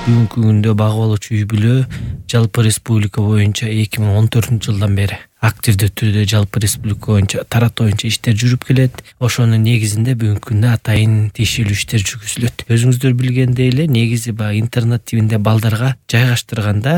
бүгүнкү күндө багып алуучу үй бүлө жалпы республика боюнча 2014-жылдан бери активдүү түрдө жалпы республика боюнча таратуу боюнча иштер жүрүп келет. Ошонун негизинде бүгүнкү күндө атайын тиешелүү иштер жүргүзүлөт. Өзүңүздөр билгендей эле негизи баягы интернат тибинде балдарга жайгаштырганда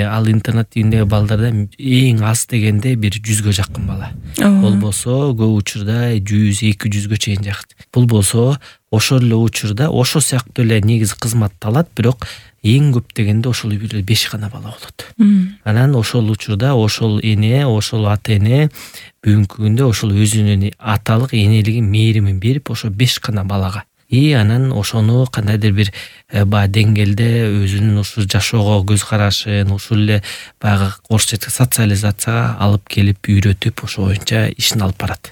ал интернат тибиндеги балдарда эң аз дегенде бир 100гө жакын бала. Болбосо көп учурда 100-200гө чейин жакт. Бул болсо ошол эле учурда ошол сыяктуу эле негизи кызматты алат, бирок эң көп дегенде ошол үй бүлөдө 5 гана бала болот. Анан ошол учурда ошол эне, ошол ата эне бүгүнкү күндө ошол өзүнүн аталык энелигин мээримин берип ошо 5 гана балага анан ошону кандайдыр бир баягы деңгээлде өзүнүн ушу жашоого көз карашын, ушул эле баягы орусча айтканда социализацияга алып келип үйрөтүп ошо боюнча ишин алып барат.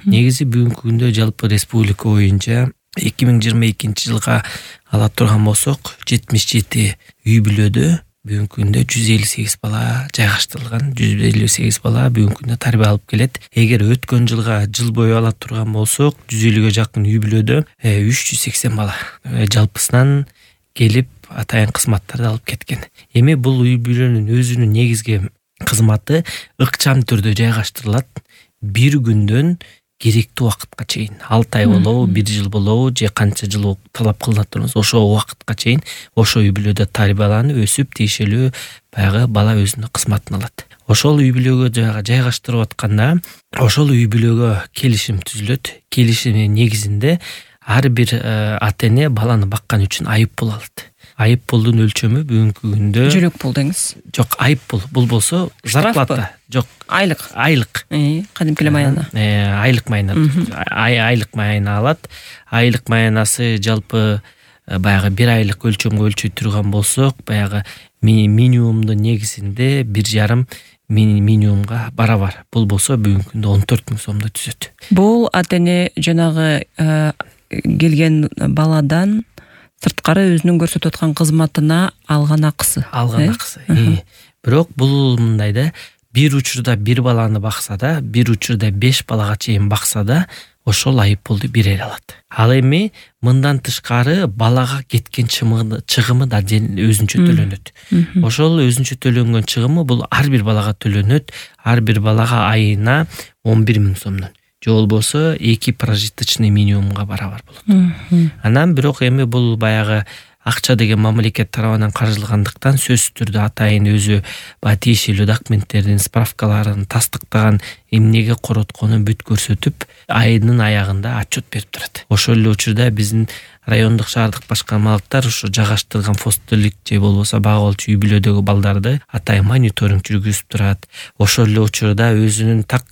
Негизи бүгүнкү күндө жалпы республика боюнча 2022-жылга ала турган болсок 77 үй бүлөдө бүгүнкү күндө 158 бала жайгаштырылган, 158 бала бүгүнкү күндө тарбия алып келет. Эгер өткөн жылга жыл бою ала турган болсок 150гө жакын үй бүлөдө 380 бала жалпысынан келип атайын кызматтарды алып кеткен. Эми бул үй бүлөнүн өзүнүн негизги кызматы ыкчам түрдө жайгаштырылат. Бир күндөн керектүү убакытка чейин 6 ай болобу, 1 жыл болобу, же канча жыл талап кылынат турганбыз, ошо убакытка чейин ошо үй бүлөдө тарбияланып, өсүп, тиешелүү баягы бала өзүнүн кызматын алат. Ошол үй бүлөгө жайгаштырып атканда, ошол үй бүлөгө келишим түзүлөт. Келишимдин негизинде ар бир ата эне баланы баккан үчүн айып пул алат. Айып пулдун өлчөмү бүгүнкү күндө жүрөк пул деңиз. Жок, айып пул. Бул болсо зарплата. Жок, айлык. Кадимки эле майына. Айлык майына. Айлык майына алат. Айлык майнасы жалпы баягы 1 айлык өлчөмгө өлчөй турган болсок, баягы минимумдун негизинде 1,5 минимумга барабар. Бул болсо бүгүнкү күндө 14 000 сомду түзөт. Бул ата эне жанагы келген баладан сырткары өзүнүн көрсөтүп аткан кызматына алган акысы. Бирок бул мындай да, бир учурда 1 баланы бакса да, бир учурда 5 балага чейин бакса да, ошол айып пулду бере алат. Ал эми мындан тышкары балага кеткен чыгымы да өзүнчө төлөнөт. Ошол өзүнчө төлөнгөн чыгымы бул ар бир балага төлөнөт. Ар бир балага айына 11 000 сомдон. Же болбосо 2 прожиточный минимумга барабар болот. Анан бирок эми бул баягы акча деген мамлекет тарабынан каржылгандыктан сөзсүз түрдө атайын өзү баягы тиешелүү документтердин, справкаларын тастыктаган, эмнеге коротконун бүт көрсөтүп, айынын аягында отчет берип турат. Ошол эле учурда биздин райондук шаардык башкармалыктар ушу жайгаштырган фостерлик же болбосо багып алуучу үй бүлөдөгү балдарды атайын мониторинг жүргүзүп турат. Ошол эле учурда өзүнүн так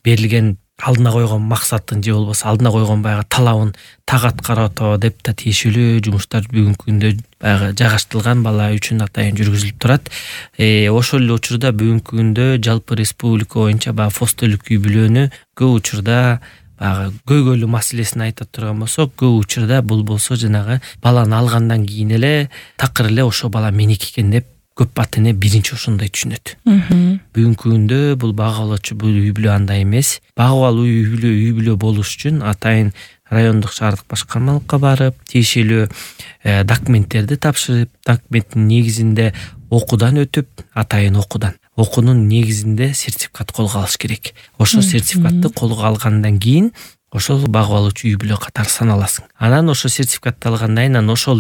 берилген алдына койгон максатын же болбосо алдына койгон баягы талабын так аткарат деп да тиешелүү жумуштар бүгүнкү күндө баягы жайгаштырылган бала үчүн атайын жүргүзүлүп турат. Ошол эле учурда бүгүнкү күндө жалпы республика боюнча баягы фостерлик үй бүлөнү көп учурда баягы көйгөйлүү маселесин айта турган болсок, көп учурда бул болсо жанагы баланы алгандан кийин эле такыр эле ошо бала меники экен деп көп ата эне биринчи ошондой түшүнөт. Бүгүнкү күндө бул багып алуучу бул үй бүлө андай эмес. Багып алуу үй бүлө болуш үчүн атайын райондук шаардык башкармалыкка барып, тиешелүү документтерди тапшырып, документтин негизинде окуудан өтүп, атайын окуунун негизинде сертификат колго алыш керек. Ошол сертификатты колго алгандан кийин ошол багып алуучу үй бүлө катары саналасың. Анан ошол сертификатты алгандан кийин ошол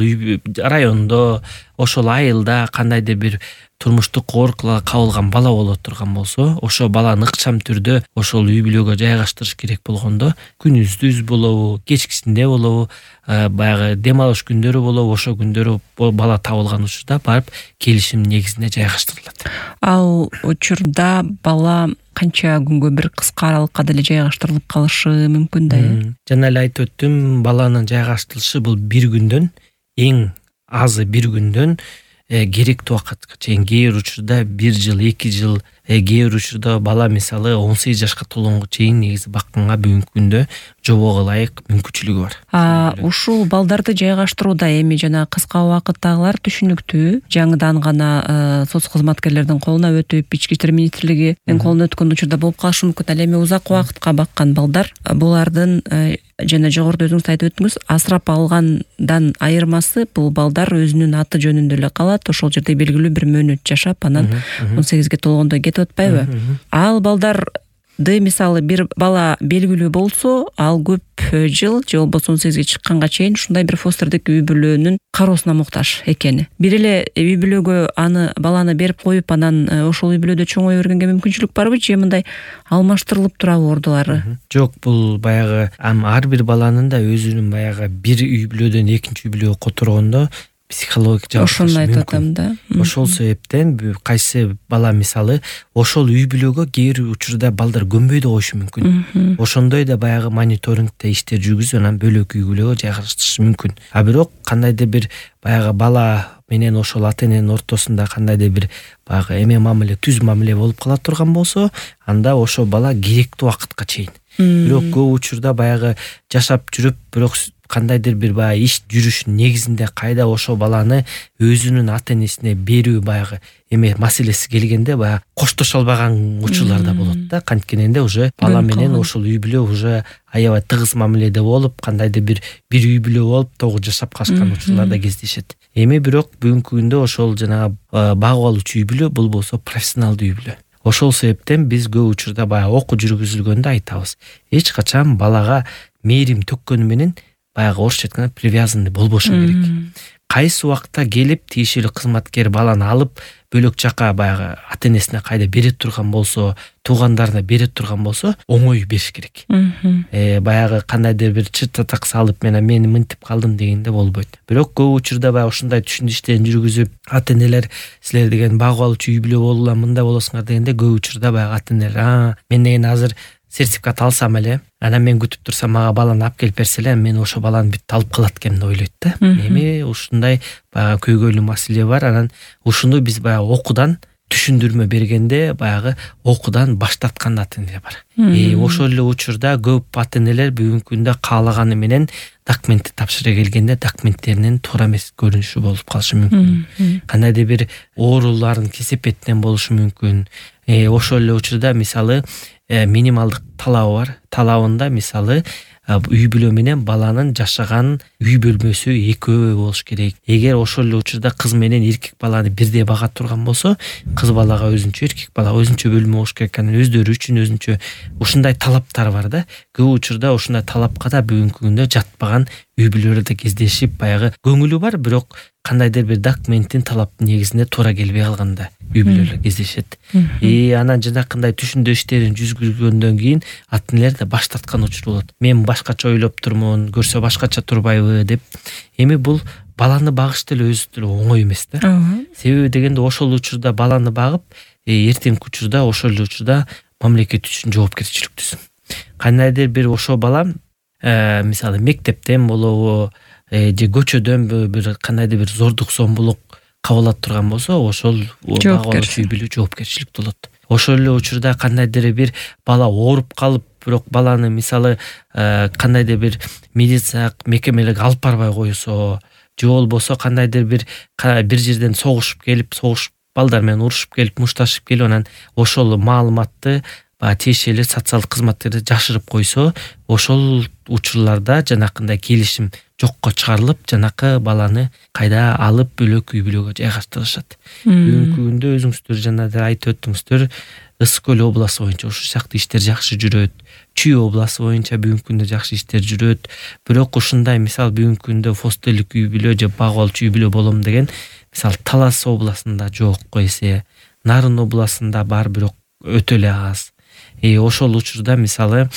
райондо, ошол айылда кандайдыр бир турмуштук оорукаларга кабылган бала боло турган болсо, ошол баланы ыкчам түрдө ошол үй бүлөгө жайгаштырыш керек болгондо, күнүздүз болобу, кечкисинде болобу, баягы дем алыш күндөрү болобу, ошол күндөрү бала табылган учурда барып келишим негизинде жайгаштырылат. Ал учурда бала канча күнгө бир кыска аралыкка деле жайгаштырылып калышы мүмкүн да? Жана эле айтып өттүм, баланын жайгаштырылышы бул 1 күндөн, эң азы 1 күндөн керектүү убакытка чейин, кээ бир учурда 1 жыл, 2 жыл кээ бир учурда бала мисалы 18 жашка толгонго чейин негизи бакканга бүгүнкү күндө жобого ылайык мүмкүнчүлүгү бар. Ушул балдарды жайгаштырууда эми жана кыска убакыттагылар түшүнүктүү, жаңыдан гана соц кызматкерлердин колуна өтүп, ички иштер министрлигинин колуна өткөн учурда болуп калышы мүмкүн. Ал эми узак убакытка баккан балдар, булардын жана жогоруда өзүңүз айтып өттүңүз, асырап алгандан айырмасы бул балдар өзүнүн аты жөнүндө эле калат, ошол жерде белгилүү бир мөөнөт жашап, анан 18ге толгондо кетип атпайбы? Ал балдарды мисалы бир бала белгилүү болсо, ал көп жыл же болбосо 18ге чыкканга чейин ушундай бир фостердик үй бүлөнүн кароосуна муктаж экени. Бир эле үй бүлөгө баланы берип коюп, анан ошол үй бүлөдө чоңое бергенге мүмкүнчүлүк барбы, же мындай алмаштырылып турабы ордулары? Жок, бул баягы ар бир баланын да өзүнүн баягы бир үй бүлөдөн экинчи үй бүлөгө которгондо психологик жабыркашы мүмкүн. Ошону айтып атам да. Ошол себептен кайсы бала мисалы ошол үй бүлөгө кээ бир учурда балдар көнбөй да коюшу мүмкүн. Ошондой да баягы мониторингде иштер жүргүзүп, анан бөлөк үй бүлөгө жайгаштырышы мүмкүн. Бирок кандайдыр бир баягы бала менен ошол ата эненин ортосунда кандайдыр бир баягы эме мамиле, түз мамиле болуп кала турган болсо, анда ошол бала керектүү убакытка чейин. Бирок көп учурда баягы жашап жүрүп, бирок кандайдыр бир баягы иш жүрүшүнүн негизинде кайда ошол баланы өзүнүн ата энесине берүү баягы эме маселеси келгенде баягы коштошо албаган учурлар да болот да. Канткенде уже бала менен ошол үй бүлө уже аябай тыгыз мамиледе болуп, кандайдыр бир үй бүлө болуп тогу жашап калышкан учурлар да кездешет. Эми бирок бүгүнкү күндө ошол жанагы багып алуучу үй бүлө бул болсо профессионалдуу үй бүлө. Ошол себептен биз көп учурда баягы окуу жүргүзүлгөндө айтабыз, эч качан балага мээрим төккөнү менен баягы орусча айтканда привязанный болбошу керек. Кайсы убакта келип тиешелүү кызматкер баланы алып бөлөк жака баягы ата энесине кайда бере турган болсо, туугандарына бере турган болсо, оңой бериш керек. Баягы кандайдыр бир чыт-чатак салып, мен мынтип калдым дегенде болбойт. Бирок көп учурда баягы ушундай түшүндү иштерин жүргүзүп, ата энелер силер деген багып алуучу үй бүлө болула, мындай болосуңар дегенде көп учурда баягы ата энелер мен деген азыр сертификат алсам эле, анан мен күтүп турсам мага баланы алып келип берсе эле, мен ошо баланы бүт алып калат экенмин деп ойлойт да. Эми ушундай баягы көйгөйлүү маселе бар. Анан ушуну биз баягы окуудан түшүндүрмө бергенде баягы окуудан баш тарткан ата энелер бар. Ошол эле учурда көп ата энелер бүгүнкү күндө каалаганы менен документти тапшыра келгенде документтеринин туура эмес көрүнүшү болуп калышы мүмкүн. Кандайдыр бир оорулардын кесепетинен болушу мүмкүн. Ошол эле учурда мисалы минималдык талабы бар. Талабында мисалы үй бүлө менен баланын жашаган үй бөлмөсү экөө болуш керек. Эгер ошол эле учурда кыз менен эркек баланы бирдей бага турган болсо, кыз балага өзүнчө, эркек балага өзүнчө бөлмө болуш керек. Анан өздөрү үчүн өзүнчө ушундай талаптар бар да. Көп учурда ушундай талапка да бүгүнкү күндө жатпаган үй бүлөлөрдө кездешип, баягы көңүлү бар, бирок кандайдыр бир документтин талаптын негизинде туура келбей калганда үй бүлөлөр кездешет. Анан жанакындай түшүндүрүү иштерин жүргүзгөндөн кийин ата энелер да баш тарткан учур болот. Мен башкача ойлоп турмун, көрсө башкача турбайбы деп. Эми бул баланы багыш деле өзү деле оңой эмес да. Себеби дегенде ошол учурда баланы багып, эртеңки учурда ошол эле учурда мамлекет үчүн жоопкерчиликтүүсүң. Кандайдыр бир ошол бала мисалы мектептен болобу, же көчөдөнбү бир кандайдыр бир зордук зомбулук кабыл турган болсо, ошол багып үй бүлө жоопкерчиликтүү болот. Ошол эле учурда кандайдыр бир бала ооруп калып, бирок баланы мисалы кандайдыр бир медициналык мекемелерге алып барбай койсо, же болбосо кандайдыр бир жерден согушуп келип, балдар менен урушуп келип, мушташып келип, анан ошол маалыматты тиешелүү социалдык кызматкерлер жашырып койсо, ошол учурларда жанакындай келишим жокко чыгарылып, жанакы баланы кайда алып бөлөк үй бүлөгө жайгаштырышат. Бүгүнкү күндө өзүңүздөр жана айтып өттүңүздөр, Ысык көл областы боюнча ушул сыяктуу иштер жакшы жүрөт. Чүй областы боюнча бүгүнкү күндө жакшы иштер жүрөт. Бирок ушундай мисал бүгүнкү күндө фостерлик үй бүлө же багып алуучу үй бүлө болом деген мисал Талас областында жок эсе, Нарын областында бар, бирок өтө эле аз. Ошол учурда мисалы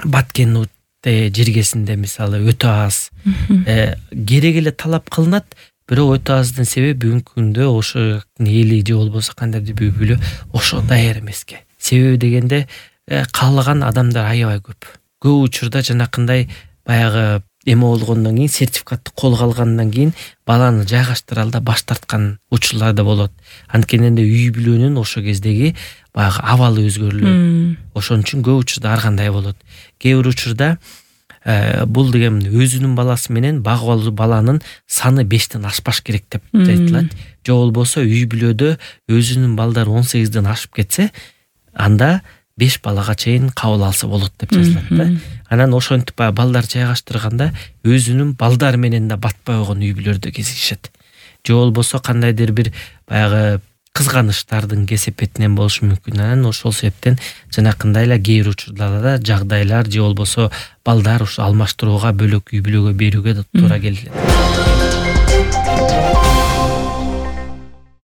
Баткен жергесинде мисалы өтө аз. Керек эле талап кылынат, бирок өтө аздын себеби бүгүнкү күндө ошо эли же болбосо кандайдыр бир үй бүлө ошо даяр эмеске. Себеби дегенде каалаган адамдар аябай көп. Көп учурда жанакындай баягы эме болгондон кийин сертификатты колго алгандан кийин баланы жайгаштыра алда баш тарткан учурлар да болот. Анткени үй бүлөнүн ошол кездеги баягы абалы өзгөрүлөт. Ошон үчүн көп учурда ар кандай болот. Кээ бир учурда бул деген өзүнүн баласы менен багып алуу баланын саны 5тен ашпаш керек деп айтылат. Же болбосо үй бүлөдө өзүнүн балдары 18ден ашып кетсе, анда 5 балага чейин кабыл алса болот деп жазылат да. Анан ошентип балдар жайгаштырганда өзүнүн балдары менен да батпай койгон үй бүлөлөрдө кездешет. Же болбосо кандайдыр бир баягы кызганычтардын кесепетинен болушу мүмкүн. Анан ошол себептен жанакындай эле кээ бир учурларда жагдайлар же болбосо балдар ушу алмаштырууга бөлөк үй бүлөгө берүүгө да туура келет.